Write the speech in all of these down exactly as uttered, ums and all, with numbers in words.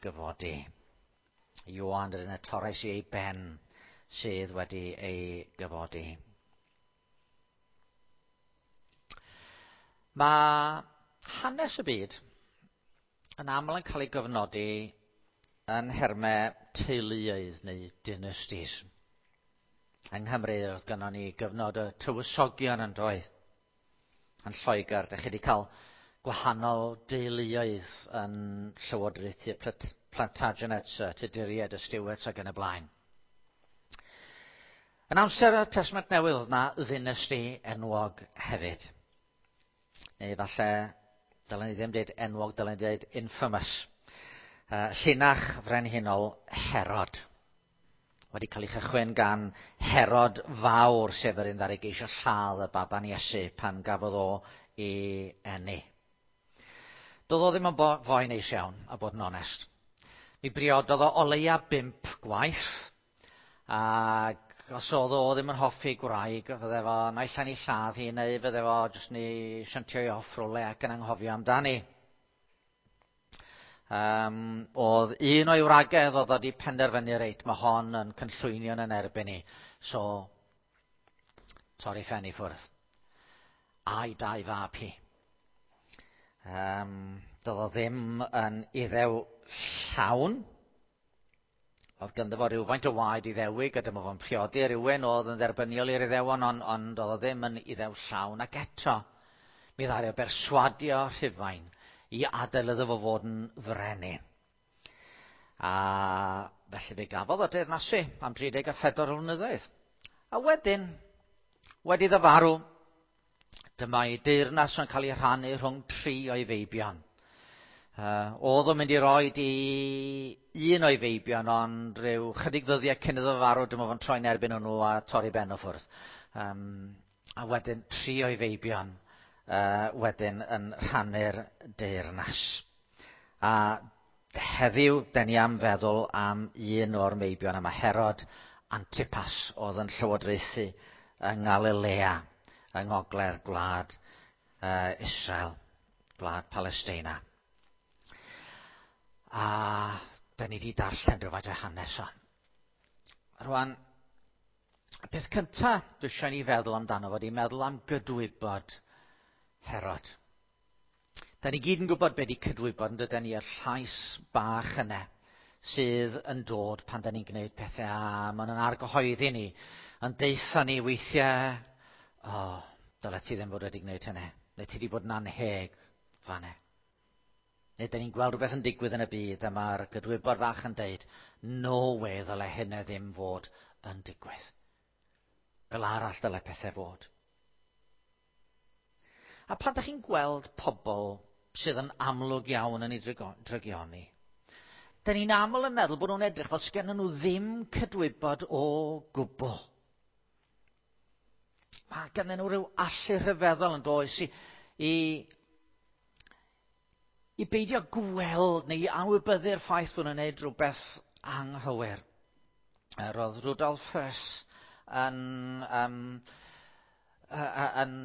gyfodi. Ioan yr un y torres i ei ben sydd wedi ei gyfodi. Mae hanes y byd yn aml yn cael ei gyfnodi yn nhermau teuluoedd neu dynasties. Yng Nghymru oedd gynnon ni gyfnod y tywysogion yn doedd. Yn Lloegr, dych chi wedi cael gwahanol deuluoedd yn llywodraethu Plantagenets, y Tuduriaid, y Stuarts ac yn y blaen. Yn amser y Testament Newydd oedd na ddynasty enwog hefyd. Neu falle, dylen ni ddim dweud enwog, dylen ni dweud infamous. Uh, llinach frenhinol Herod. Wedi cael ei chychwyn gan Herod Fawr, sef yr un ddaru geisio lladd y baban Iesu pan gafodd o ei eni. Doedd o ddim yn foi neis iawn, a bod yn onest. Mi briododd o o leia bump gwaith, ac os oedd o ddim yn hoffi gwraig, fydde fo naill ai'n ei lladd hi, neu fydde fo jyst yn ei shuntio i off rhywle ac yn anghofio amdani. Um, oedd un o'i wragedd oedd wedi penderfynu reit, mae hon yn cynllwynio yn erbyn i. So, torri ffen i ffwrdd. A'i dau fab hi. Um, doedd o ddim yn iddew llawn. Oedd ganddo fo rhywfaint o waed Iddewig, a dyma fo'n priodi rhywun oedd yn dderbyniol i'r Iddewon, ond, ond oedd o ddim yn iddew llawn. Ac eto, mi ddaru o berswadio Rhufain i adael iddo fo fod yn frenin. A felly fe gafodd o deyrnasu am dri deg a phedwar o flynyddoedd. A wedyn, wedi iddo farw, dyma ei deyrnas yn cael ei rhannu rhwng tri o'i feibion. Uh, oedd o'n mynd i roed i un o'i feibion, ond rhyw chydig ddyddiau cyn iddo farw, dyma fo'n troi'n erbyn hwnnw a torri ben o ffwrdd. Um, a wedyn tri o'i feibion uh, wedyn yn rhannu'r deyrnas. A heddiw, den ni am feddwl am un o'r meibion yma, Herod Antipas, oedd yn llywodraethu yng Nghalilea, yng ngogledd gwlad uh, Israel, gwlad Palesteina. A da ni wedi darllen rhywfaint o hanes o. Rwan, y peth cyntaf dwi eisiau ni feddwl amdano fod i meddwl am gydwybod Herod. Da ni gyd yn gwybod beth di cydwybod, yn dydyn ni, y llais bach yna sydd yn dod pan da ni'n gwneud pethau a maen nhw'n argyhoeddi ni, yn deutha ni weithiau, o, oh, dyle ti ddim fod wedi gwneud hynny, neu ti wedi bod yn anheg fan'na. Neu da ni'n gweld rhywbeth yn digwydd yn y byd a mae'r gydwybod fach yn deud, no way ddyle hynny ddim fod yn digwydd. Fel arall dyle pethau fod. A pan da chi'n gweld pobl sydd yn amlwg iawn yn ei drygioni, da ni'n aml yn meddwl bod nhw'n edrych fel sgennyn nhw ddim cydwybod o gwbl. Mae ganddyn nhw rhyw allu rhyfeddol yn does i, i, i beidio gweld neu i anwybyddu'r ffaith bod nhw'n gwneud rhywbeth anghywir. Roedd Rudolf Hess yn, um, yn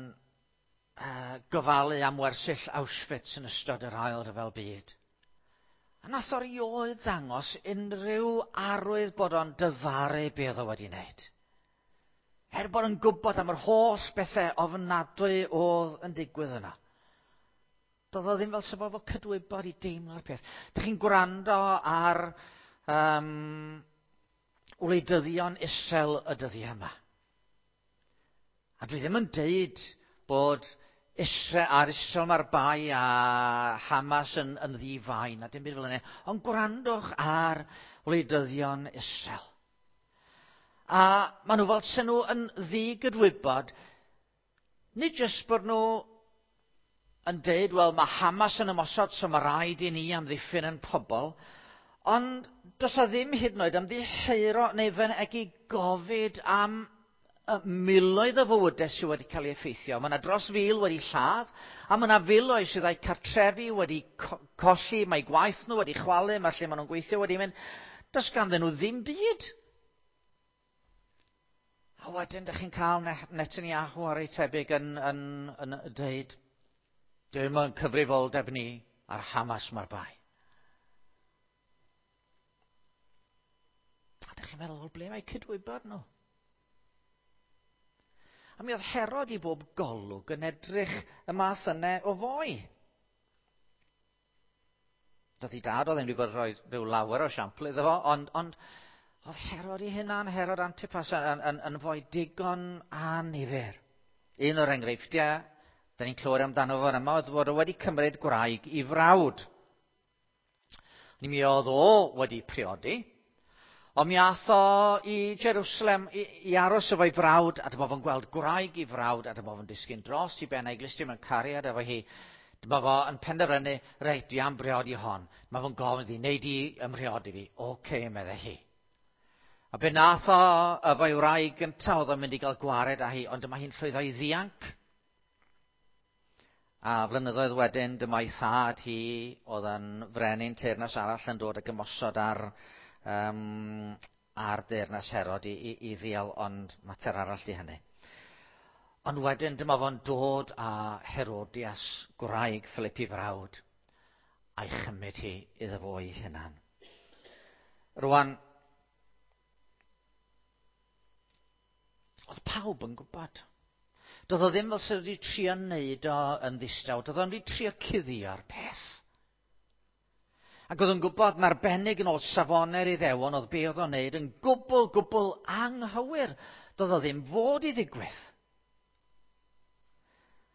uh, gofalu am wersyll Auschwitz yn ystod yr Ail Ryfel Byd. A nath o rioed ddangos unrhyw arwydd bod o'n dyfaru be oedd o wedi wneud. Er bod yn gwybod am yr holl bethau ofnadwy oedd yn digwydd yna. Doedd o ddim fel sef o cydwybod i deimlo'r peth. Dych chi'n gwrando ar um, wleidyddion Israel y dyddiau yma. A dwi ddim yn deud bod Israel, ar Israel mae'r bai a Hamas yn, yn ddifai, na dim byd fel yna. Ond gwrandwch ar wleidyddion Israel. A maen nhw fel sy'n nhw yn ddigydwybod, nid jyst bod nhw yn deud, wel, mae Hamas yn ymosod, so mae rhaid i ni amddiffyn yn pobl, ond does a ddim hyd yn oed ymddiheuro neu fynegi gofid am miloedd o fywydau sydd wedi cael ei effeithio. Mae yna dros fil wedi lladd, a mae yna filoedd sydd â'u cartrefi wedi co colli, mae gwaith nhw wedi chwalu, mae lle maen nhw'n gweithio wedi mynd. Does ganddyn nhw ddim byd. A wedyn, dych chi'n cael Netanyahu ar ei tebyg yn, yn, yn, yn dweud, dim yn cyfrifoldeb ni ar Hamas mae'r bai. chi'n meddwl, wel, ble mae cydwybod nhw? A mi oedd Herod i bob golwg yn edrych y math yna o foi. Doedd ei dad o ddim wedi bod rhoi rhyw lawer o siampl iddo fo, ond, ond oedd Herod ei hunan, Herod Antipas, yn, yn, yn foi digon annifyr. Un o'r enghreifftiau, da ni'n clywed amdano fo yma, oedd fod o wedi cymryd gwraig i frawd. Ni mi oedd o wedi priodi, ond mi ath o i Jerusalem i, i aros efo'i frawd, a dyma fo'n gweld gwraig i frawd, a dyma fo'n disgyn dros i ben a'i glustiau mewn cariad efo hi. Dyma fo yn penderfynu, reit, dwi am briodi hon. Dyma fo'n gofyn iddi, nei di ymhriodi fi. Oce, meddai hi. A be nath o efo'i wraig gyntaf, oedd o'n mynd i gael gwared â hi, ond dyma hi'n llwyddo i ddianc. A flynyddoedd wedyn, dyma ei thad hi, oedd yn frenin teyrnas arall yn dod ag ymosod ar, um, ar deyrnas Herod i, i, i ddial, ond mater arall di hynny. Ond wedyn dyma fo'n dod â Herodias, gwraig Philip i frawd, a'i chymryd hi iddo fo ei hunan. Rwan, oedd pawb yn gwybod. Doedd o ddim fel sydd wedi trio wneud o yn ddistaw, doedd o'n wedi trio cuddio'r peth. Ac oedd o'n gwybod yn arbennig yn ôl safonau'r Iddewon oedd be oedd o'n wneud yn gwbl, gwbl anghywir. Doedd o ddim fod i ddigwydd.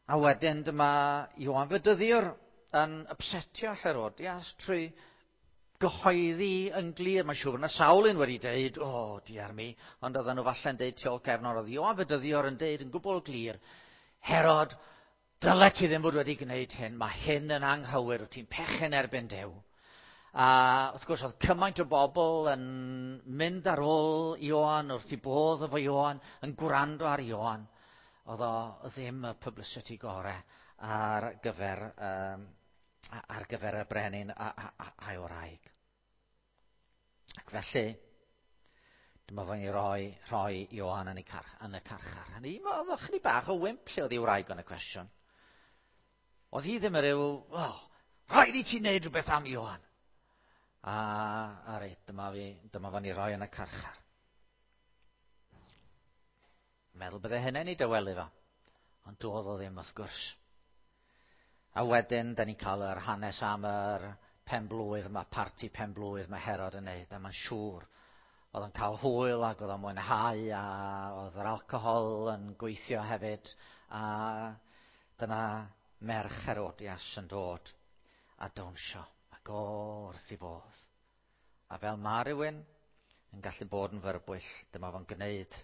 A wedyn dyma Ioan Fedyddiwr yn upsetio Herodias trwy gyhoeddi yn glir. Mae'n siŵr na sawl un wedi deud, o, oh, diar mi, ond oedden nhw falle'n deud tu ôl cefn, ond oedd Ioan Fedyddiwr yn deud yn gwbl glir, Herod, dyle ti ddim fod wedi gwneud hyn, mae hyn yn anghywir, wyt ti'n pechu'n erbyn Duw. A wrth gwrs oedd cymaint o bobl yn mynd ar ôl Ioan, wrth i bodd efo Ioan, yn gwrando ar Ioan. Oedd o ddim y publicity gore ar gyfer, um, ar gyfer y brenin a'i wraig. Ac felly, dyma fo'n ei roi, rhoi Ioan yn, ei car, yn y carchar. A ni, oedd o chydig bach o wymp lle oedd ei wraig yn y cwestiwn. Oedd hi ddim yn rhyw, oh, rhaid i ti wneud rhywbeth am Ioan. A, a reit, dyma, fi, dyma fo'n ei roi yn y carchar. Meddwl bydde hynny'n ei dawelu fo. Ond doedd o ddim wrth gwrs. A wedyn, da ni'n cael yr hanes am yr penblwydd, mae parti penblwydd mae Herod yn neud, a mae'n siŵr oedd o'n cael hwyl ac oedd o'n mwynhau, a oedd yr alcohol yn gweithio hefyd, a dyna merch Herodias yn dod a dawnsio, ac o wrth i bodd. A fel mae rhywun yn gallu bod yn fyrbwyll, dyma fo'n gwneud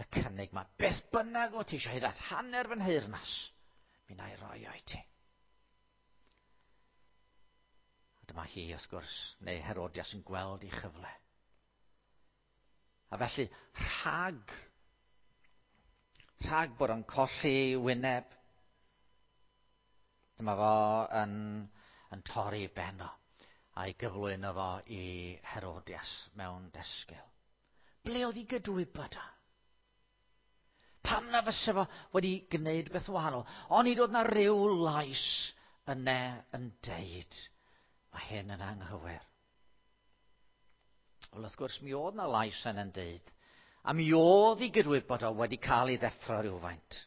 y cynnig ma, beth bynnag o ti eisiau hyd at hanner fy nheyrnas, mi na i roi o i ti. A dyma hi, wrth gwrs, neu Herodias yn gweld ei chyfle. A felly, rhag, rhag bod o'n colli wyneb, dyma fo yn, yn torri ben o, a'i gyflwyno fo i Herodias mewn desgil. Ble oedd ei gydwybod o? Pam na fysa fo wedi gwneud beth wahanol? Ond nid oedd na ryw lais yna yn deud, mae hyn yn anghywir. Wel, wrth gwrs, mi oedd na lais yna'n deud, a mi oedd ei gydwybod o wedi cael ei ddeffro rhywfaint.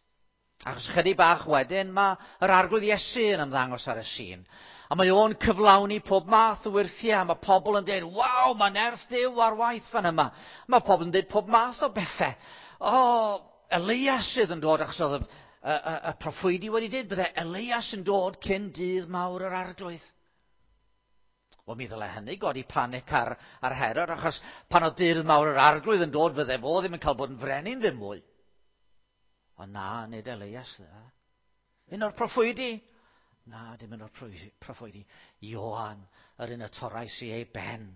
Achos chydig bach wedyn, mae yr Arglwydd Iesu yn ymddangos ar y sîn. A mae o'n cyflawni pob math o wyrthiau. A mae pobl yn dweud, waw, mae nerth Duw ar waith fan yma. Mae pobl yn dweud pob math o bethau. O, Elias sydd yn dod, achos oedd y, y, y, y proffwydi wedi dweud, bydde Elias yn dod cyn dydd mawr yr Arglwydd. Wel, mi ddyle hynny godi panic ar, ar Herod, achos pan oedd dydd mawr yr Arglwydd yn dod, fydde fo ddim yn cael bod yn frenin ddim mwy. Ond na, nid Elias. Na. Un o'r proffwydi. Na, dim un o'r proffwydi. Ioan, yr un y torrais i ei ben,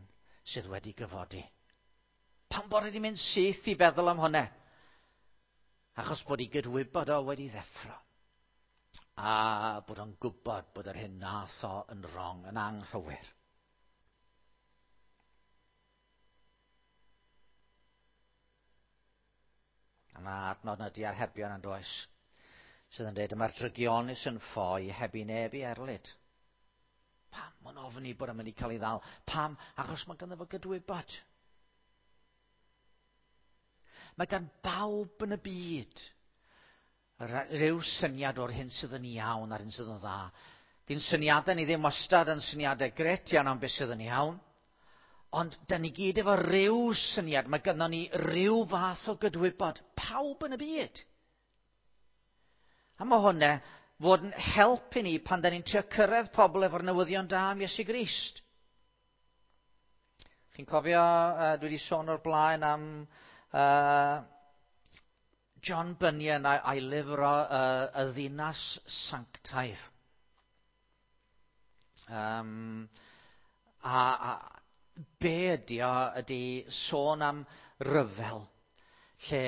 sydd wedi gyfodi. Pam bod wedi mynd syth i feddwl am hwnna? Achos bod ei gydwybod o wedi ddeffro. A bod o'n gwybod bod yr hyn nath o yn wrong, yn anghywir. A na adnod na diarhebion yn does, sydd yn dweud, mae'r drygionus yn ffoi heb i neb i erlid. Pam? Mae'n ofni bod o'n mynd i cael ei ddal. Pam? Achos mae ganddo fo gydwybod. Mae gan bawb yn y byd rhyw syniad o'r hyn sydd yn iawn a'r hyn sydd yn dda. Di'n syniadau ni ddim wastad yn syniadau gret iawn am beth sydd yn iawn. Ond da ni gyd efo rhyw syniad, mae gynnon ni rhyw fath o gydwybod, pawb yn y byd. A mae hwnna fod yn help i ni pan da ni'n trio cyrraedd pobl efo'r newyddion da am Iesu Grist. Chi'n cofio, uh, dwi wedi sôn o'r blaen am uh, John Bunyan a'i lyfr o uh, Y Ddinas Sanctaidd. Um, a, a be ydy o ydy sôn am ryfel lle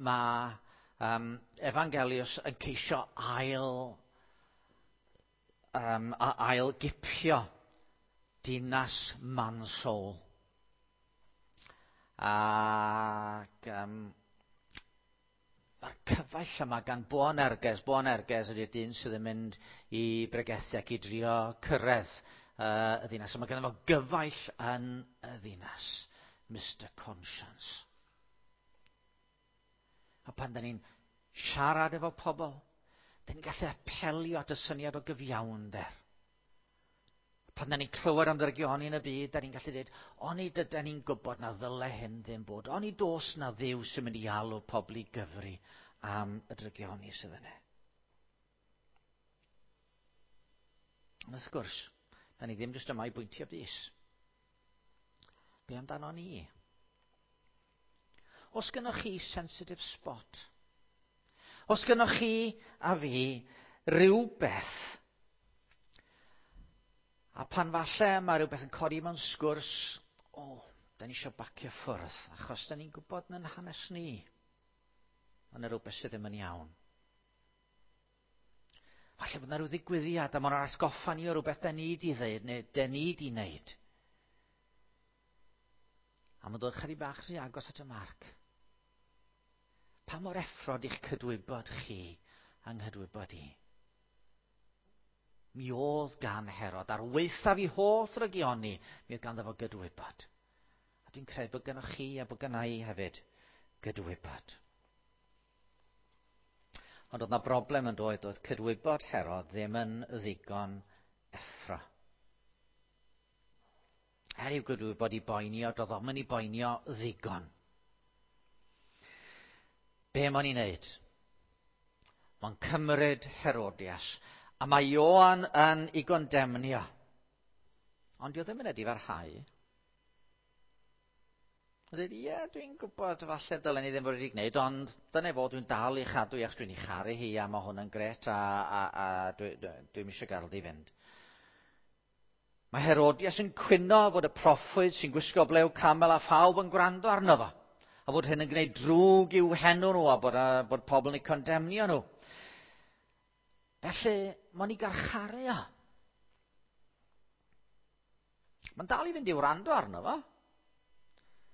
mae um, Evangelius yn ceisio ail, um, a ail gipio dinas Mansoul. Ac um, mae'r cyfaill yma gan Boanerges. Boanerges ydy'r dyn sydd yn mynd i bregethu ac i drio cyrraedd uh, y ddinas. A mae ganddo fo gyfaill yn y ddinas, Mister Conscience. A pan da ni'n siarad efo pobl, da ni'n gallu apelio at y syniad o gyfiawnder. Pan da ni'n clywed am ddrygioni yn y byd, da ni'n gallu dweud, oni dyda ni'n gwybod na ddyle hyn ddim bod, oni dos na Dduw sy'n mynd i alw pobl i gyfri am y drygioni sydd yna. Ond wrth gwrs, da ni ddim jyst yma i bwyntio bys. Be amdano ni? Os gynnoch chi sensitive spot, os gynnoch chi a fi rhywbeth, a pan falle mae rhywbeth yn codi mewn sgwrs, o, oh, da ni eisiau bacio ffwrdd, achos da ni'n gwybod yn hanes ni, mae yna rhywbeth sydd ddim yn iawn. Falle bod yna rhyw ddigwyddiad, a mae'n atgoffa ni o rhywbeth da ni di ddeud, neu da ni di wneud. A mae'n dod chydig bach rhy agos at y marc. Pa mor effrod i'ch cydwybod chi yng nghydwybod i? Mi oedd gan Herod, ar waethaf i holl ddrygioni, mi oedd ganddo fo gydwybod. A dwi'n credu bod gynnoch chi a bod gynna i hefyd gydwybod. Ond oedd na broblem yn dod, oedd cydwybod Herod ddim yn ddigon effro. Er i'w gydwybod i boenio, doedd o'm yn ei boenio ddigon. Be mae'n ei wneud? Mae'n cymryd Herodias, a mae Ioan yn ei gondemnio. Ond dio ddim yn edifarhau. Mae'n dweud, ie, dwi'n gwybod falle dylen ni ddim fod wedi gwneud, ond dyna fo, dwi'n dal i chadw i achos dwi'n ei charu hi a mae hwn yn gret a, a, a dwi, dwi, dwi'm eisiau gael di fynd. Mae Herodias yn cwyno fod y proffwyd sy'n gwisgo blew camel a phawb yn gwrando arno fo. A fod hyn yn gwneud drwg i'w henw nhw a bod, a, bod pobl yn eu condemnio nhw. Felly, mae'n ei garcharu o. Mae'n dal i fynd i wrando arno fo.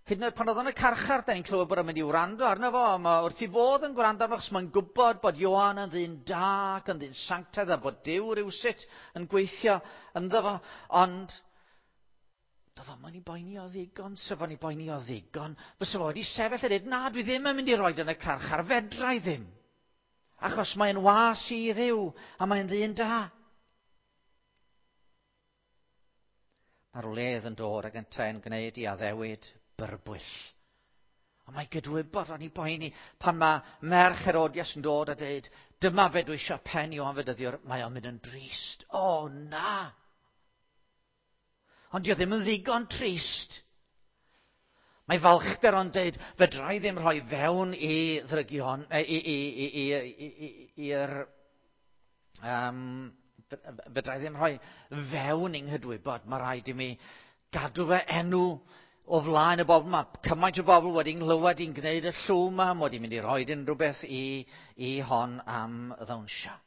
Hyd yn oed pan oedd yn y carchar, da ni'n clywed bod o'n mynd i wrando arno fo. Mae wrth i fod yn gwrando arno, achos mae'n gwybod bod Ioan yn ddyn da ac yn ddyn sanctaidd a bod Duw rywsut yn gweithio ynddo fo. Ond doedd o'm yn ei boeni o ddigon, sef o'n ei boeni o ddigon. Fysa fo wedi sefyll a dweud, na, dwi ddim yn mynd i roid yn y carchar, fedra i ddim. Achos mae'n was i Dduw a mae'n ddyn da. Mae'r wledd yn dod ac yntau'n gwneud i addewid byrbwyll. A mae gydwybod o'n ei boeni pan mae merch Herodias yn dod a dweud, dyma fe dwi eisiau pen Ioan Fedyddiwr, mae o'n mynd yn drist. O, na! Ond dio ddim yn ddigon trist. Mae falchder o'n dweud, fedra i ddim rhoi fewn i ddrygion, i, i, i, i, i, i'r... Um, fedra i ddim rhoi fewn i'n nghydwybod. Mae rhaid i mi gadw fe enw o flaen y bobl. Mae cymaint o bobl wedi nghlywed i'n gwneud y llw yma, mod i'n mynd i roi unrhyw beth i, i hon am ddawnsio.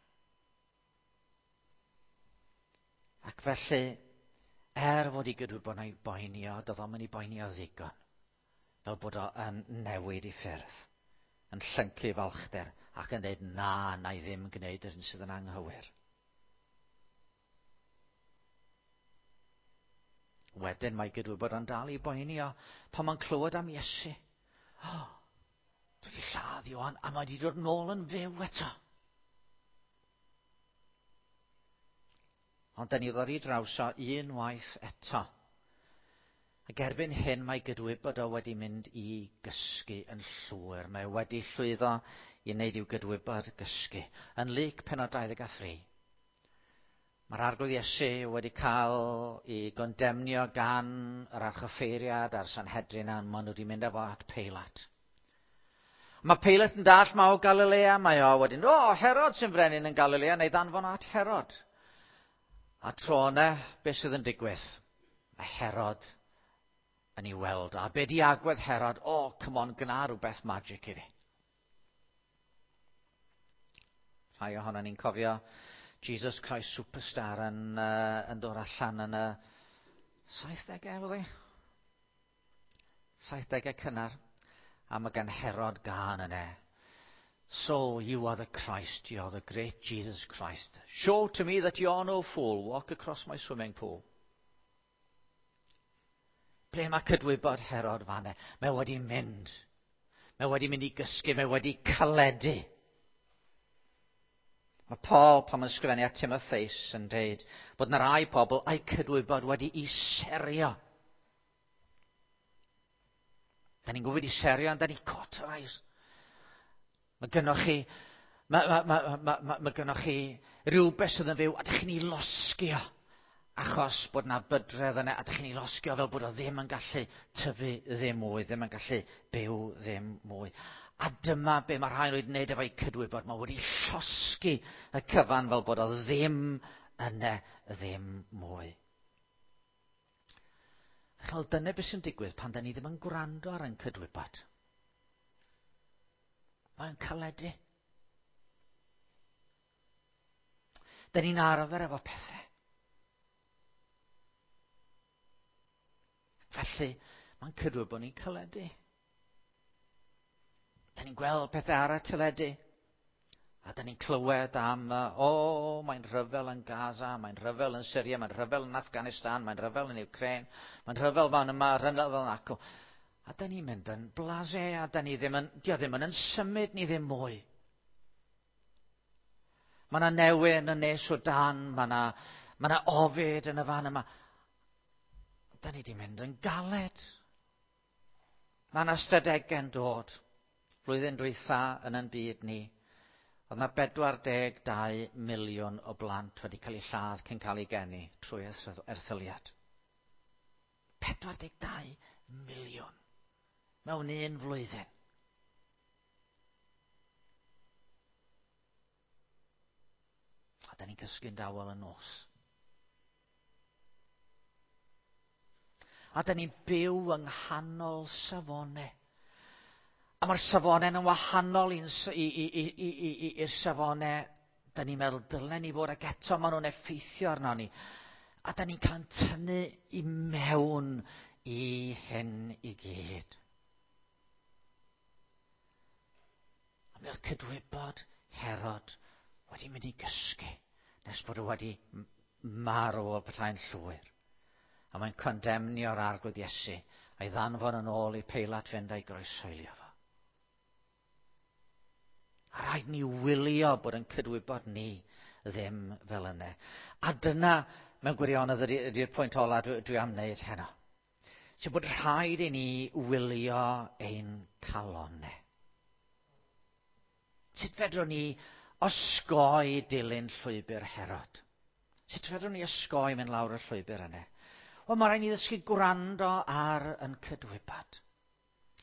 Ac felly, er fod i gydwybod na'i boenio, doedd o'm yn ei boenio ddigon, fel bod o yn newid i ffyrdd, yn llyncu falchder ac yn dweud, na, na i ddim gwneud yr hyn sydd yn anghywir. Wedyn mae gydwybod yn dal i boenio pan mae'n clywed am Iesu. Oh, Dwi wedi lladd Ioan, a mae wedi dod nôl yn fyw eto. Ond da ni ddod i draws o unwaith eto. Ac erbyn hyn mae gydwybod o wedi mynd i gysgu yn llwyr. Mae wedi llwyddo i wneud i'w gydwybod gysgu. Yn Luc pennod dau ddeg a thri, mae'r Arglwydd Iesu wedi cael ei gondemnio gan yr archoffeiriad a'r Sanhedrin, a maen nhw wedi mynd â fo at Peilat. Mae Peilat yn dall ma o Galilea, mae o wedyn, o, Herod sy'n frenin yn Galilea, neu ddanfon at Herod. A tro yna, beth sydd yn digwydd? Mae Herod yn ei weld. A be di agwedd Herod? O, oh, come on, gna rhywbeth magic i fi. Rhai ohono ni'n cofio Jesus Christ Superstar yn, uh, yn dod allan yn y saithdegau, oedd hi? saithdegau cynnar. A mae gan Herod gân yna. So you are the Christ, you are the great Jesus Christ. Show to me that you are no fool. Walk across my swimming pool. Ble mae cydwybod Herod fanne? Mae wedi mynd. Mae wedi mynd i gysgu, mae wedi caledu. Mae Paul, pan mae'n ysgrifennu at Timotheus, yn dweud bod yna rai pobl a'i cydwybod wedi i serio. Da ni'n gwybod i serio, ond da ni cauterize. Mae gynnoch chi, mae, mae, mae, mae, mae, mae gynnoch chi rhywbeth sydd yn fyw, a dych chi'n ei losgio, achos bod yna bydredd yna, a dych chi'n ei losgio fel bod o ddim yn gallu tyfu ddim mwy, ddim yn gallu byw ddim mwy. A dyma be mae rhai wedi wneud efo'i cydwybod. Mae wedi llosgi y cyfan fel bod o ddim yna ddim mwy. Chel, dyna beth sy'n digwydd pan da ni ddim yn gwrando ar ein cydwybod. Mae'n caledu. Da ni'n arfer efo pethau. Felly, mae'n cydwybod ni'n caledu. Da ni'n gweld pethau ar y teledu. A da ni'n clywed am, o, oh, mae'n rhyfel yn Gaza, mae'n rhyfel yn Syria, mae'n rhyfel yn Afghanistan, mae'n rhyfel yn Ukraine, mae'n rhyfel fan yma, rhyfel fan acw. A da ni'n mynd yn blasé, a da ni ddim yn, dio ddim yn, yn symud ni ddim mwy. Mae yna newyn yn nes o dan, mae yna, mae yna ofid yn y fan yma. Da ni di mynd yn galed. Mae yna ystadegau'n dod. Blwyddyn dwytha yn yn byd ni, oedd yna bedwar deg dau miliwn o blant wedi cael eu lladd cyn cael eu geni trwy erthyliad. pedwar deg dau miliwn mewn un flwyddyn. A da ni'n cysgu'n dawel y nos. A da ni'n byw yng nghanol safonau. A mae'r safonau yn wahanol i'r safonau da ni'n meddwl dylen ni fod, ac eto maen nhw'n effeithio arno ni. A da ni'n cael tynnu i mewn i hyn i gyd. A mi oedd cydwybod Herod wedi mynd i gysgu nes bod o wedi marw o petai'n llwyr. A mae'n condemnio'r Arglwydd Iesu a'i ddanfon yn ôl i Peilat fynd a'i groeshoelio fo. A rhaid ni wylio bod yn cydwybod ni ddim fel yna. A dyna, mewn gwirionedd, ydy'r pwynt ola dwi, dwi am wneud heno. Sef bod rhaid i ni wylio ein calonnau. Sut fedrwn ni osgoi dilyn llwybr Herod? Sut fedrwn ni osgoi mynd lawr y llwybr yna? Wel, mae rhaid ni ddysgu gwrando ar yn cydwybod.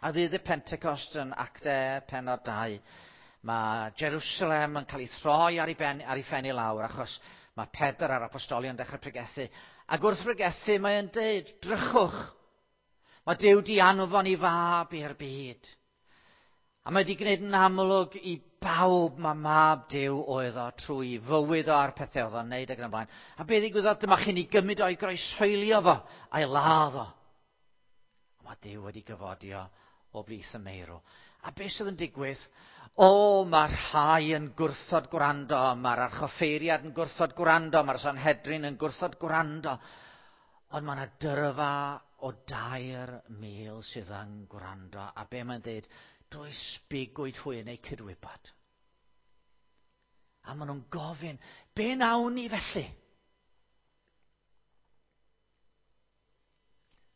A ddydd y Pentecost yn Actau pennod dau, mae Jerusalem yn cael ei throi ar ei, ben, ar ei phen i lawr, achos mae Pedr a'r apostolion yn dechrau pregethu. Ac wrth pregethu mae'n deud, drychwch, mae Duw di anfon i fab i'r byd. A mae wedi gwneud yn amlwg i bawb mae mab Duw oedd o trwy fywyd o a'r pethau oedd o'n neud ac yn y blaen. A be ddigwyddodd, dyma chi'n ei gymryd o'i groeshoelio fo a'i ladd o. A mae Duw wedi gyfodi o o blith y meirw. A beth sydd yn digwydd? O, mae rhai yn gwrthod gwrando, mae'r archoffeiriad yn gwrthod gwrando, mae'r Sanhedrin yn gwrthod gwrando. Ond mae yna dyrfa o dair mil sydd yn gwrando. A be mae'n dweud, does bigwyd hwy yn eu cydwybod. A maen nhw'n gofyn, be nawn ni felly?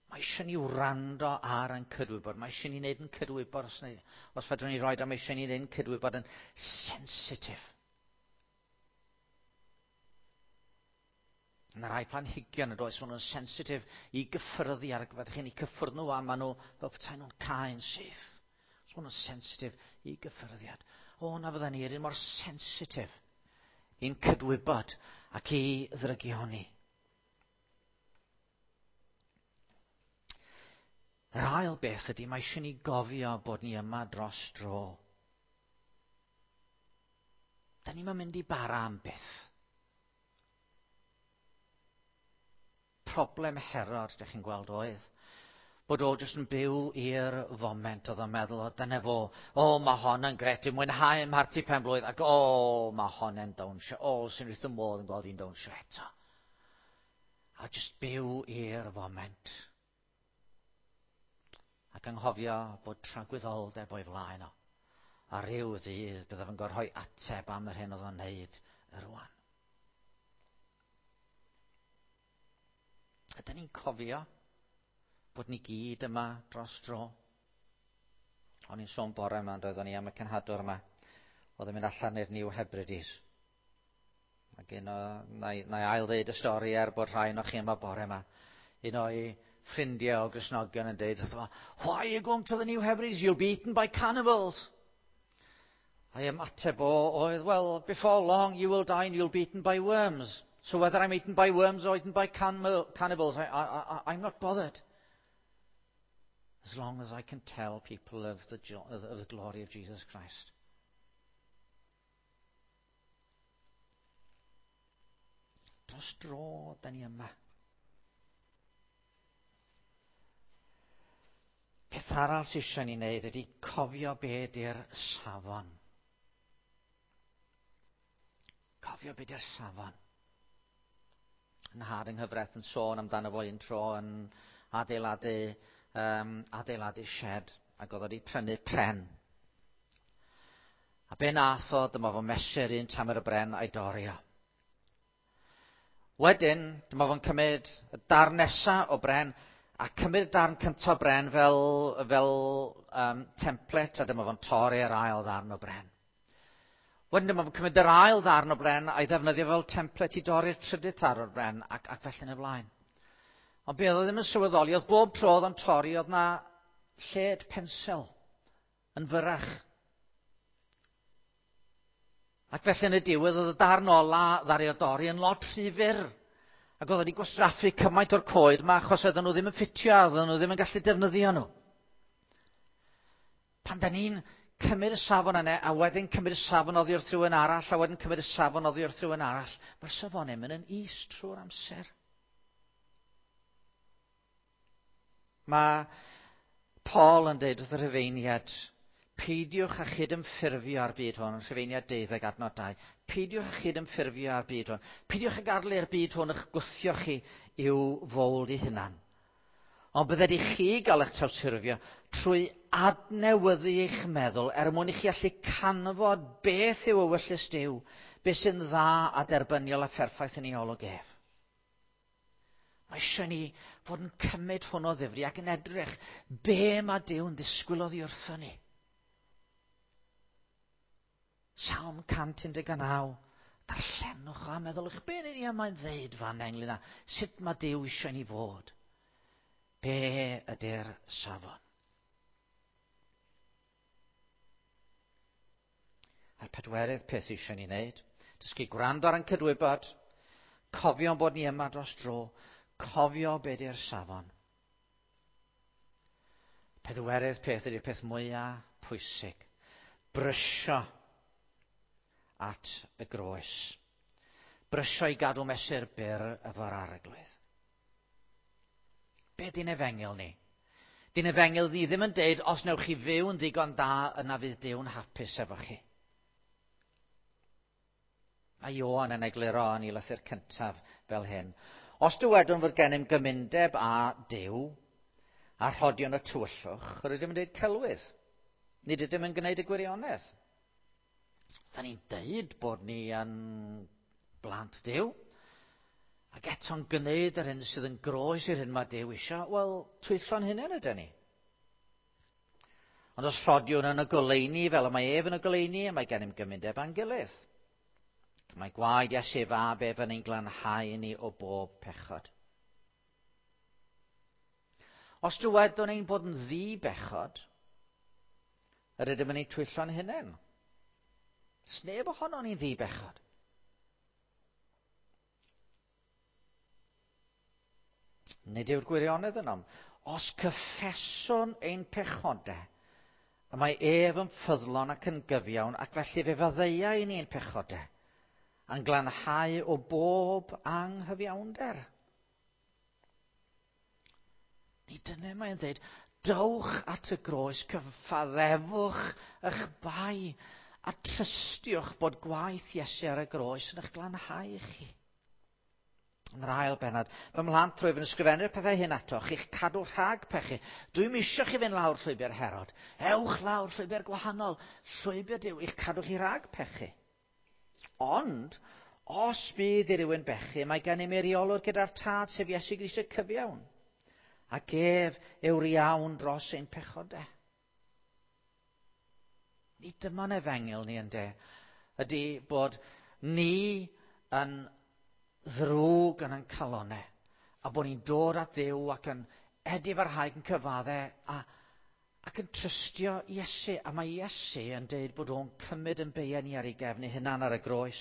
Mae eisiau ni wrando ar ein cydwybod. Mae eisiau ni wneud yn cydwybod, os, ni, os fedrwn ni roed, mae eisiau ni wneud yn cydwybod yn sensitif. Yna rai planhigion yn does, maen nhw'n sensitif i gyffyrddi ar y gyfer. Chi'n eu cyffwrdd nhw a maen nhw fel petai nhw'n cau'n syth. So maen nhw'n sensitif i gyffyrddiad. O, na fydden ni yr un mor sensitif i'n cydwybod ac i ddrygioni. Yr ail beth ydy, mae eisiau ni gofio bod ni yma dros dro. Da ni'n mynd i bara am byth. Problem Herod, dych chi'n gweld, oedd bod o jyst yn byw i'r foment, oedd o'n meddwl, o dyna fo, o mae hon yn gret, dwi'n mwynhau mharti penblwydd, ac o mae hon yn dawnsio, o sy'n wrth y modd yn gweld hi'n dawnsio eto. A jyst byw i'r foment. Ac anghofio bod tragwyddoldeb o'i flaen o. A rhyw ddydd byddaf yn gorfod rhoi ateb am yr hyn oedd o'n wneud rwan. Ydyn ni'n cofio bod ni gyd yma dros dro? O'n i'n sôn bore yma, doeddwn ni am y cenhadwr yma. Oedd yn mynd allan i'r New Hebrides. Ac un o, na i, na i ail ddeud y stori er bod rhai o'n chi yma bore yma. Un o'i ffrindiau o Gristnogion yn deud wrtho fo, "Why are you going to the New Hebrides? You'll be eaten by cannibals." A'i ymateb o oedd, "Well, before long you will die and you'll be eaten by worms. So whether I'm eaten by worms or eaten by cannibals, I, I, I, I'm not bothered. As long as I can tell people of the, of the glory of Jesus Christ." Dros dro, da ni yma. Peth arall sydd eisiau ni wneud ydy cofio be ydy'r safon. Cofio be ydy'r safon. Nhad yng nghyfraith yn sôn amdano fo un tro yn adeiladu, um, adeiladu shed, ac oedd wedi prynu pren. A be nath o, dyma fo mesur un tamer y bren a'i dorri o. Wedyn, dyma fo'n cymryd y darn nesa o bren, a cymryd darn cyntaf o bren fel, fel um, template, a dyma fo'n torri yr ail ddarn o bren. Wedyn dyma fo'n cymryd yr ail ddarn o bren a'i ddefnyddio fel template i dorri'r trydydd darn o'r bren, ac, ac felly yn y blaen. Ond be oedd o ddim yn sylweddoli, oedd bob tro oedd o'n torri, oedd na lled pensel yn fyrach. Ac felly yn y diwedd, oedd y darn ola ddaru o dorri yn lot rhy fyr. Ac oedd wedi gwastraffu cymaint o'r coed yma achos oedden nhw ddim yn ffitio, oedden nhw ddim yn gallu defnyddio nhw. Pan da ni'n cymryd y safon yna, a wedyn cymryd y safon oddi wrth rhywun arall, a wedyn cymryd y safon oddi wrth rhywun arall, mae'r safonau mynd yn is trwy'r amser. Mae Paul yn dweud wrth y Rhufeiniad, peidiwch â chydymffurfio â'r byd hwn, Rhufeiniad deuddeg adnod dau. Peidiwch â chydymffurfio â'r byd hwn. Peidiwch â gadael i'r byd hwn eich gwthio chi i'w fowld ei hunan. Ond bydded i chi gael eich trawsffurfio trwy adnewyddu eich meddwl er mwyn i chi allu canfod beth yw ewyllys Duw, beth sy'n dda a derbyniol a pherffaith yn ei olwg ef. Mae eisiau ni fod yn cymryd hwn o ddifri ac yn edrych be mae Duw'n ddisgwyl oddi wrtho ni. Salm cant un deg naw. Darllenwch a meddylwch be yn union mae'n ddeud fan ynglyn â sut mae Duw eisiau ni fod. Be ydy'r safon? A'r pedwerydd peth eisiau ni wneud, dysgu gwrando ar ein cydwybod, cofio bod ni yma dros dro, cofio be ydy'r safon. Pedwerydd peth ydy'r peth mwyaf pwysig. Brysio at y groes. Brysio i gadw mesur byr efo'r Arglwydd. Be di'n efengyl ni? Di'n efengyl ni ddim yn deud, os newch chi fyw yn ddigon da, yna fydd Duw'n hapus efo chi. Mae Ioan yn egluro yn ei lythyr cyntaf fel hyn. Os dywedwn fod gennym gymundeb â Duw, a rhodion y tywyllwch, yr ydym yn dweud celwydd. Nid ydym yn gwneud y gwirionedd. Da ni'n deud bod ni yn blant Duw, ac eto'n gwneud yr hyn sydd yn groes i'r hyn mae Duw eisiau, wel, twyllo'n hunain ydyn ni. Ond os rhodiwn yn y goleuni fel y mae ef yn y goleuni, mae gennym gymundeb â'n gilydd. Mae gwaed Iesu fab ef yn ein glanhau ni o bob pechod. Os dywedwn ein bod yn ddi-bechod, yr ydym yn ei twyllo'n hunain. Sneb ohonon ni'n ddi-bechod. Nid yw'r gwirionedd ynom. Os cyffeswn ein pechodau, y mae ef yn ffyddlon ac yn gyfiawn, ac felly fe faddeuai ni ein pechodau, a'n glanhau o bob anghyfiawnder. Ni dyna mae'n dweud, dowch at y groes, cyfaddefwch eich bai, a trystiwch bod gwaith Iesu ar y groes yn eich glanhau chi. Yn yr ail bennod, fy mhlant, rwyf yn ysgrifennu'r pethau hyn atoch, i'ch cadw rhag pechu. Dwi'm isio chi fynd lawr llwybr Herod. Ewch lawr llwybr gwahanol, llwybr Duw, i'ch cadw chi rhag pechu. Ond, os bydd i rywun bechu, mae gennym eiriolwr gyda'r Tad, sef Iesu Grist y cyfiawn. Ac ef yw'r iawn dros ein pechodau. Ni dyma'n efengyl ni ynde, ydy bod ni yn ddrwg yn ein calonau, a bod ni'n dod at Dduw ac yn edifarhau yn cyfadde a, ac yn trystio Iesu. A mae Iesu yn deud bod o'n cymryd yn beiau ni ar ei gefn ei hunan ar y groes,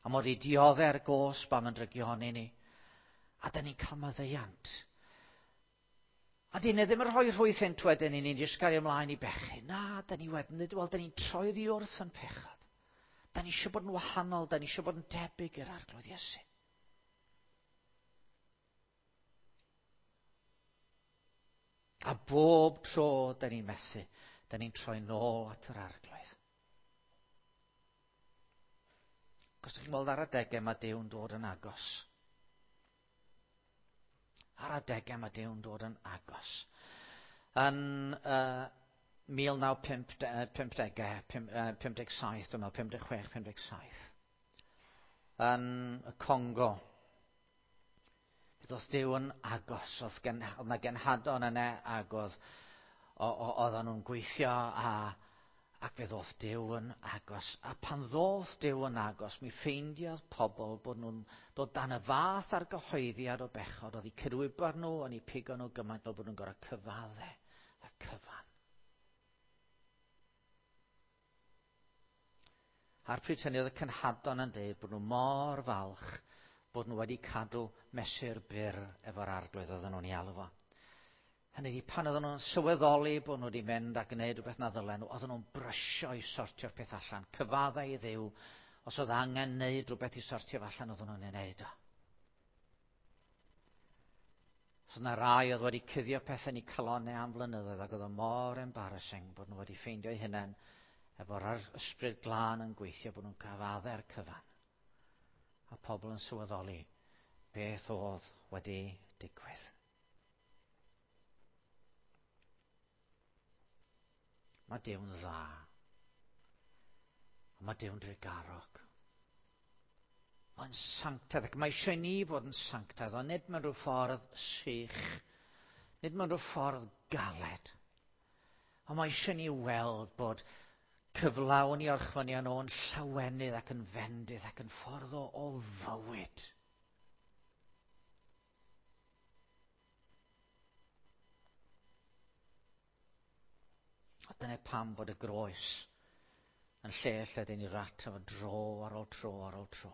a mod i diodde'r gosb am yn drygioni ni, a da ni'n cael maddeuant. A dyn ni ddim yn rhoi rhwydd hyn wedyn i ni'n jyst gario ymlaen i bechu. Na, da ni wedyn, wel, da ni'n troi oddi wrth yn pechod. Da ni eisiau bod yn wahanol, da ni eisiau bod yn debyg i'r Arglwydd Iesu. A bob tro da ni'n methu, da ni'n troi nôl at yr Arglwydd. Cos ydych chi'n gweld ar adegau mae Duw'n dod yn agos. Ar adegau mae Duw'n dod yn agos. Yn uh, mil naw pump degau, pum deg saith, dwi'n meddwl, pum deg chwech, pum deg saith. Yn y Congo, bydd oedd Duw yn agos, oedd gen, oedd na genhadon yna ac oedd, oedden nhw'n gweithio a, ac fe ddoth Duw yn agos. A pan ddoth Duw yn agos, mi ffeindiodd pobl bod nhw'n dod dan y fath ar gyhoeddiad o bechod, oedd eu cydwybod nhw, o'n eu pigo nhw gymaint fel bod nhw'n gorfod cyfadde y cyfan. A'r pryd hynny oedd y cenhadon yn dweud bod nhw mor falch bod nhw wedi cadw mesur byr efo'r Arglwydd oedden nhw'n ei alw fo. Hynny ydi, pan oedden nhw'n sylweddoli bod nhw wedi mynd a gwneud rhywbeth na ddylen nhw, oedden nhw'n brysio i sortio'r peth allan, cyfaddau i Dduw, os oedd angen wneud rhywbeth i sortio allan, oedden nhw'n ei wneud o. Os oedd yna rai oedd wedi cuddio pethau yn eu calonnau am flynyddoedd ac oedd o mor embarrassing bod nhw wedi ffeindio eu hunain efo'r ysbryd glân yn gweithio bod nhw'n cyfadde'r cyfan. A pobl yn sylweddoli beth oedd wedi digwydd. Mae Duw'n dda. A mae Duw'n drugarog. Mae'n sanctaidd, ac mae eisiau ni fod yn sanctaidd, ond nid mewn rhyw ffordd sych, nid mewn rhyw ffordd galed. Ond mae eisiau ni weld bod cyflawn i orchfynion o'n llawenydd ac yn fendith ac yn ffordd o, o fywyd. A dyna pam bod y groes yn lle lle dyn ni rat efo dro ar ôl tro ar ôl tro.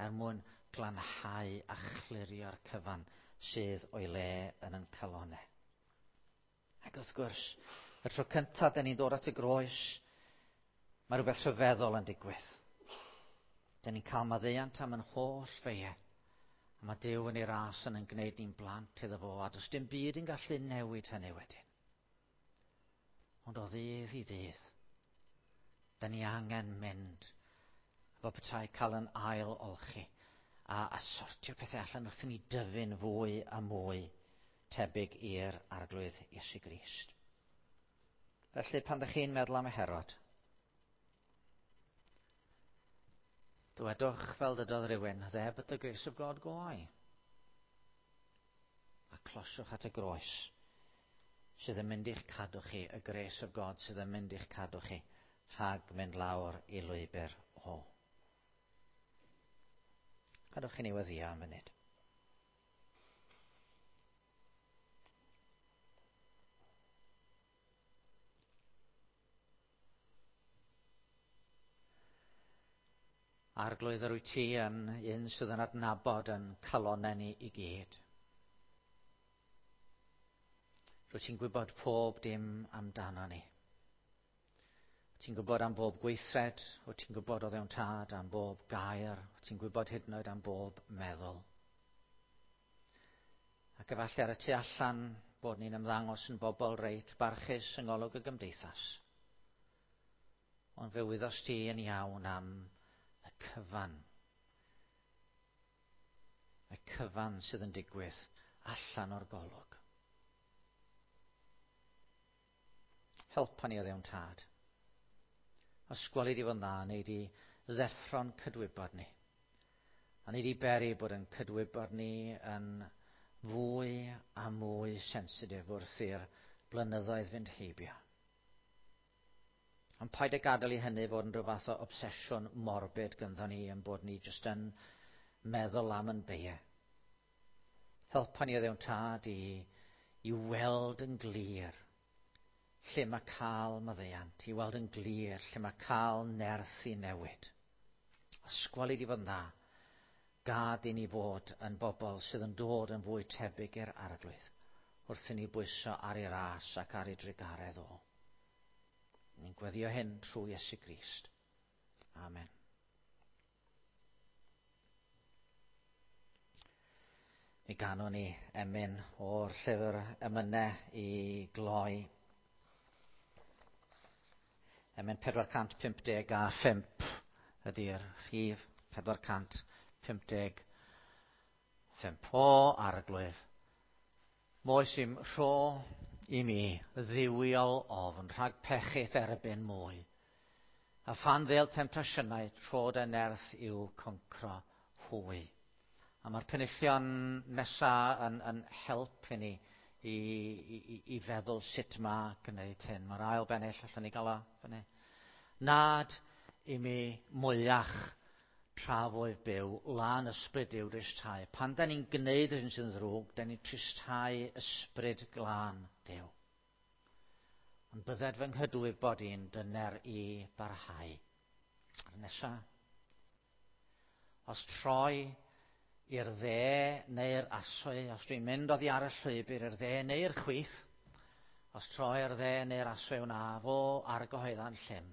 Er mwyn glanhau a chlirio'r cyfan sydd o'i le yn yn calonau. Ac wrth gwrs, y tro cyntaf dyn ni'n dod at y groes, mae rhywbeth rhyfeddol yn digwydd. Dyn ni'n cael maddeuant am yn holl feiau. A mae Duw yn ei ras yn yn gwneud ni'n blant iddo fo, a does dim byd yn gallu newid hynny wedyn. Ond o ddydd i ddydd, dyn ni angen mynd efo petai cael yn ail olchi a, a sortio pethau allan wrth i ni dyfu'n fwy a mwy tebyg i'r Arglwydd Iesu Grist. Felly, pan ydych chi'n meddwl am y Herod, dywedwch fel dydodd rhywun, "There but the grace of God go I." A closiwch at y groes sydd yn mynd i'ch cadw chi, y grace of God sydd yn mynd i'ch cadw chi rhag mynd lawr i lwybr o. Gadwch i ni weddïo am funud. Arglwydd, yr wyt ti yn un sydd yn adnabod yn calonnau ni i gyd. Rwyt ti'n gwybod pob dim amdano ni. Wyt ti'n gwybod am bob gweithred, wyt ti'n gwybod o ddewn tad am bob gair, wyt ti'n gwybod hyd yn oed am bob meddwl. Ac efallai ar y tu allan bod ni'n ymddangos yn bobl reit barchus yng ngolwg y gymdeithas. Ond fe wyddost ti yn iawn am y cyfan. Y cyfan sydd yn digwydd allan o'r golwg. Helpa ni o ddewn tad. Os gweli di fod yn dda, neu di ddeffro'n cydwybod ni. A neu di beri bod yn cydwybod ni yn fwy a mwy sensitif wrth i'r blynyddoedd fynd heibio. Ond paid â gadael i hynny fod yn rhyw fath o obsesiwn morbid gynddo ni yn bod ni jyst yn meddwl am yn beie. Helpa ni o ddewn tad i, i weld yn glir lle mae cael maddeuant, i weld yn glir lle mae cael nerth i newid. Ysgweli di fod yn dda, gad i ni fod yn bobl sydd yn dod yn fwy tebyg i'r Arglwydd wrth i ni bwyso ar ei ras ac ar ei drugaredd o. Ni'n gweddio hyn trwy Iesu Grist. Amen. Mi ganwn ni emyn o'r llyfr emynau i gloi. Emyn pedwar cant pump deg a phump ydy'r rhif pedwar cant pump deg phump. O Arglwydd, moes i'm rho i mi dduwiol ofn rhag pechu'th erbyn mwy. A phan ddêl temtasiynau, trod y nerth i'w concro hwy. A mae'r penillion nesaf yn, yn help i ni i, i, i feddwl sut mae gwneud hyn. Mae'r ail bennill, allan ni gael o fyny. Nad i mi mwyach tra fwyf byw, lân ysbryd yw dristau. Pan da ni'n gwneud yr hyn sydd yn ddrwg, da ni'n tristau ysbryd glân Duw. Ond bydded fy nghydwybod i'n dyner i barhau. A'r nesa, os troi i'r dde neu'r aswy, os dwi'n mynd oddi ar y llwybr i'r dde neu'r chwith, os troi i'r dde neu'r aswy wna fo argyhoedda'n llym,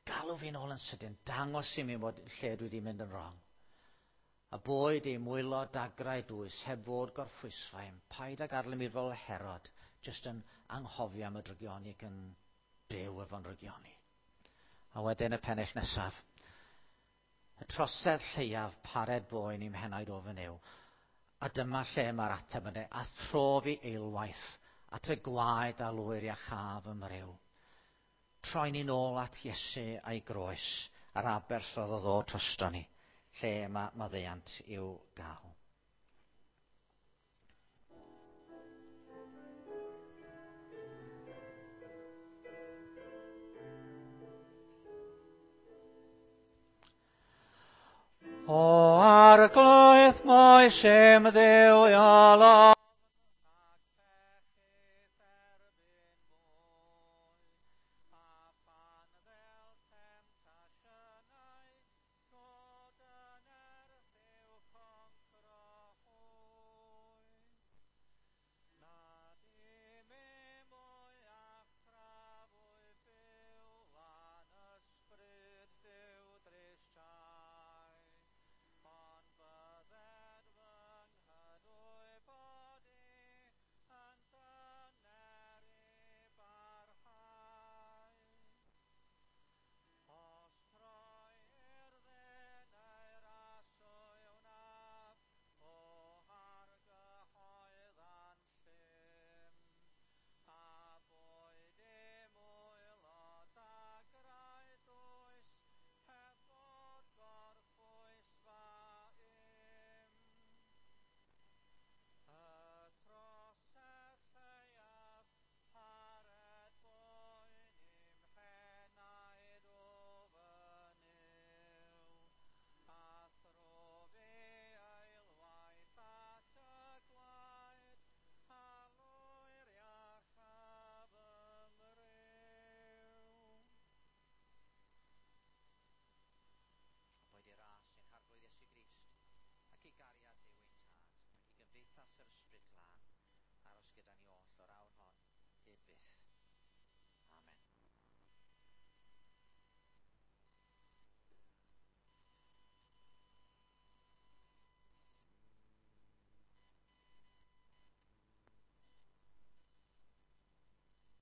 galw fi'n ôl yn sydyn, dangos i mi bod lle dwi wedi mynd yn wrong. A boed i mwylo dagrau dwys, heb fod gorffwysfain, paid ag arlym i'r fel Herod, jyst yn anghofio am y drygioni ac yn byw efo'n drygioni. A wedyn y pennill nesaf. Y trosedd lleiaf pared boen i'm henaid ofyn yw. A dyma lle mae'r ateb yn dweud, a thro fi eilwaith at y gwaed a lwyr iachaf ymryw. Troi ni'n ôl at Iesu a'i groes a'r aberth oedd o ddod drosto ni, lle mae maddeuant i'w gael. O Arglwydd, moes im dduwiol